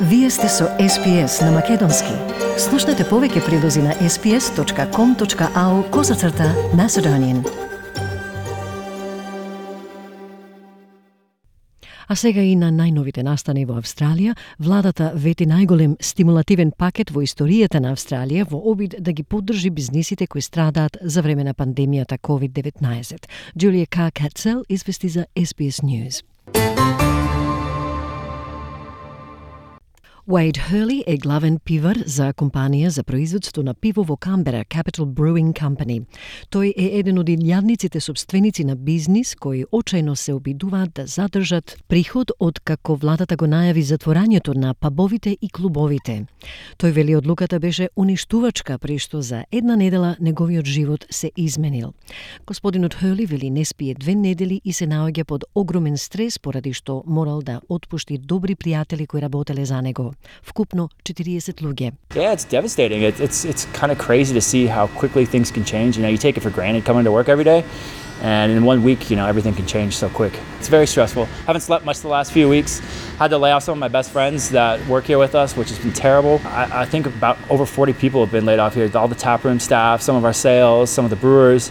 Вие сте со SPS на Македонски. Слушнете повеќе прилози на sps.com.au/Macedonian. А сега и на најновите настани во Австралија, владата вети најголем стимулативен пакет во историјата на Австралија во обид да ги поддржи бизнисите кои страдаат за време на пандемијата COVID-19. Джулија Катцел извести за SBS News. Wade Hurley е главен пивар за компанија за производство на пиво во Камбера, Capital Brewing Company. Тој е еден од илјадниците собственици на бизнис кои очајно се обидуваат да задржат приход од како владата го најави затворањето на пабовите и клубовите. Тој вели одлуката беше уништувачка, при што за една недела неговиот живот се изменил. Господинот Hurley вели не спие 2 недели и се наоѓа под огромен стрес поради што морал да отпушти добри пријатели кои работеле за него. Вкупно 40 луѓе. Yeah, it's devastating. It's kind of crazy to see how quickly things can change. You know, you take it for granted coming to work every day, and in 1 week, everything can change so quick. It's very stressful. Haven't slept much the last few weeks. Had to lay off some of my best friends that work here with us, which has been terrible. I think about over 40 people have been laid off here. All the taproom staff, some of our sales, some of the brewers.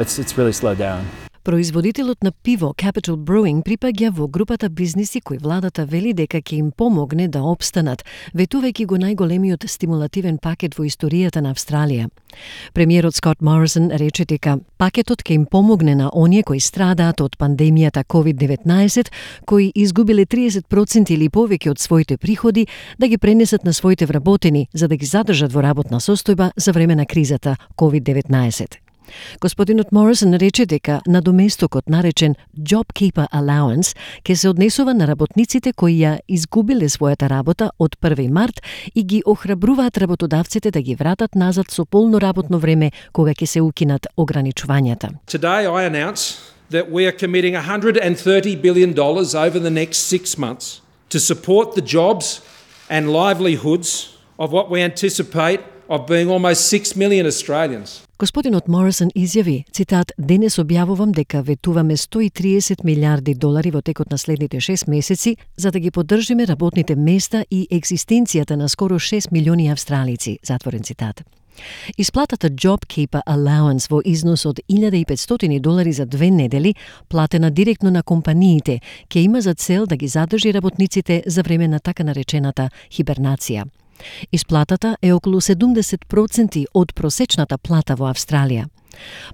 It's really slowed down. Производителот на пиво Capital Brewing припаѓа во групата бизниси кои владата вели дека ќе им помогне да опстанат, ветувајќи го најголемиот стимулативен пакет во историјата на Австралија. Премиерот Скот Морисон рече дека пакетот ќе им помогне на оние кои страдаат од пандемијата COVID-19, кои изгубиле 30% или повеќе од своите приходи, да ги пренесат на своите вработени за да ги задржат во работна состојба за време на кризата COVID-19. Господинот Морисон рече дека надоместокот наречен JobKeeper Allowance ќе се однесува на работниците кои ја изгубиле својата работа од 1 март и ги охрабруваат работодавците да ги вратат назад со полно работно време кога ќе се укинат ограничувањата. Today I announce that we are committing $130 billion over the next 6 months to support the jobs and livelihoods of what we anticipate of being almost 6 million Australians. Господинот Морисон изјави, цитат, денес објавувам дека ветуваме $130 милиарди во текот на следните 6 месеци за да ги поддржиме работните места и екзистенцијата на скоро 6 милиони австралици, затворен цитат. Исплатата JobKeeper Allowance во износ од $1.500 за 2 недели, платена директно на компаниите, ќе има за цел да ги задржи работниците за време на така наречената хибернација. Исплатата е околу 70% од просечната плата во Австралија.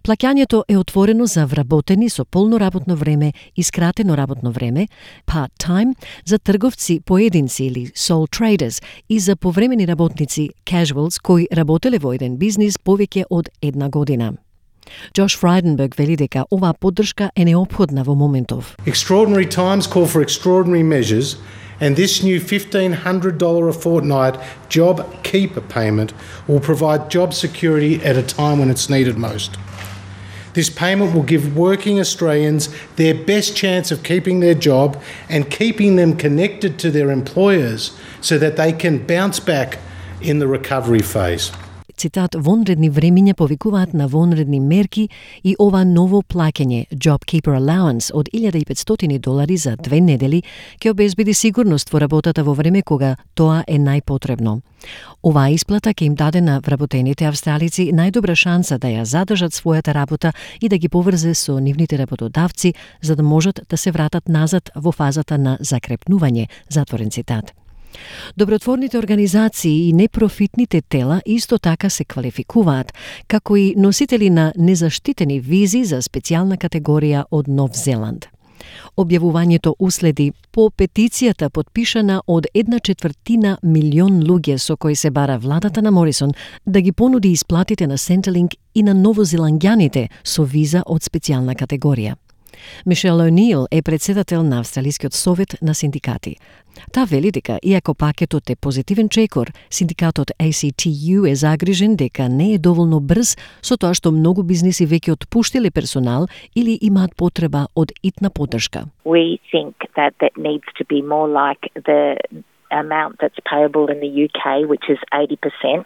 Плаќањето е отворено за вработени со полно работно време и скратено работно време, part-time, за трговци поединци или sole traders и за повремени работници casuals кои работеле во еден бизнис повеќе од 1 година. Josh Frydenberg вели дека оваа поддршка е неопходна во моментов. Extraordinary times call for extraordinary measures, and this new $1,500 a fortnight JobKeeper payment will provide job security at a time when it's needed most. This payment will give working Australians their best chance of keeping their job and keeping them connected to their employers so that they can bounce back in the recovery phase. Цитат, вонредни времиња повикуваат на вонредни мерки и ова ново плаќање JobKeeper Allowance од $1.500 за 2 недели ќе обезбеди сигурност во работата во време кога тоа е најпотребно. Оваа исплата ќе им даде на вработените австралици најдобра шанса да ја задржат својата работа и да ги поврзе со нивните работодавци за да можат да се вратат назад во фазата на закрепнување, затворен цитат. Добротворните организации и непрофитните тела исто така се квалификуваат како и носители на незаштитени визи за специјална категорија од Нов Зеланд. Објавувањето уследи по петицијата подпишана од 1/4 милион луѓе со кои се бара владата на Морисон да ги понуди исплатите на Centrelink и на новозеландјаните со виза од специјална категорија. Мишел О'Нил е председател на Австралискиот совет на синдикати. Та вели дека, иако пакетот е позитивен чекор, синдикатот ACTU е загрижен дека не е доволно брз со тоа што многу бизниси веќе отпуштиле персонал или имаат потреба од итна поддршка. We think that needs to be more like the amount that's payable in the UK, which is 80%,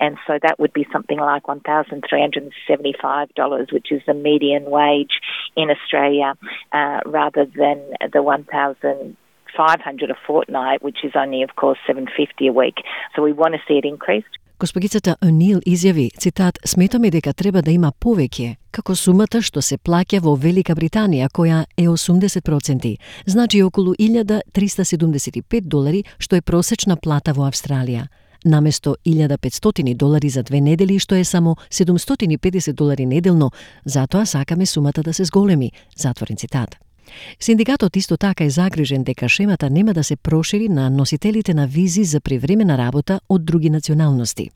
and so that would be something like $1,375, which is the median wage in Australia, rather than the $1,500 $500 a fortnight, which is only, of course, $750 a week. So we want to see it increased. Госпогицата О'Нил изјави, цитат, сметаме дека треба да има повеќе, како сумата што се плаќа во Велика Британија, која е 80%, значи околу $1,375, што е просечна плата во Австралија. Наместо $1,500 за 2 недели, што е само $750 неделно, затоа сакаме сумата да се зголеми, затворен цитат. Синдикатот исто така е загрижен дека шемата нема да се прошири на носителите на визи за привремена работа од други националности.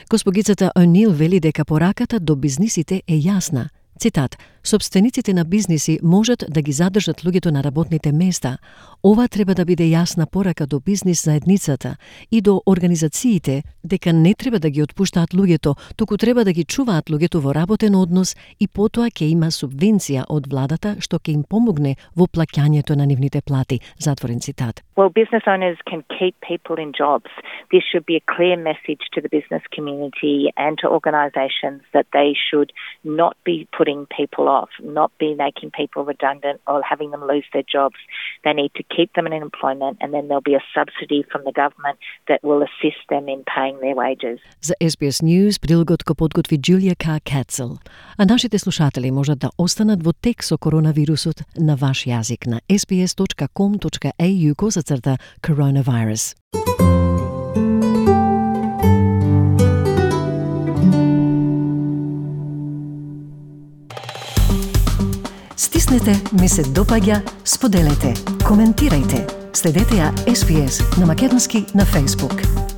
Госпогицата О'Нил вели дека пораката до бизнисите е јасна. Цитат, собствениците на бизниси можат да ги задржат луѓето на работните места. Ова треба да биде јасна порака до бизнис заедницата и до организациите дека не треба да ги отпуштаат луѓето, туку треба да ги чуваат луѓето во работен однос и потоа ќе има субвенција од владата што ќе им помогне во плаќањето на нивните плати, затворен цитат. Well, business owners can keep people in jobs. This should be a clear message to the business community and to organisations that they should not be putting people off, not be making people redundant or having them lose their jobs. They need to keep them in employment, and then there'll be a subsidy from the government that will assist them in paying their wages. За SBS News прилогот го подготви Джулија К. Кацел. А нашите слушатели можат да останат во тек со коронавирусот на ваш јазик на sbs.com.au/coronavirus. Стиснете, ми се допаѓа, споделете, коментирајте. Следете ја SBS на македонски на Facebook.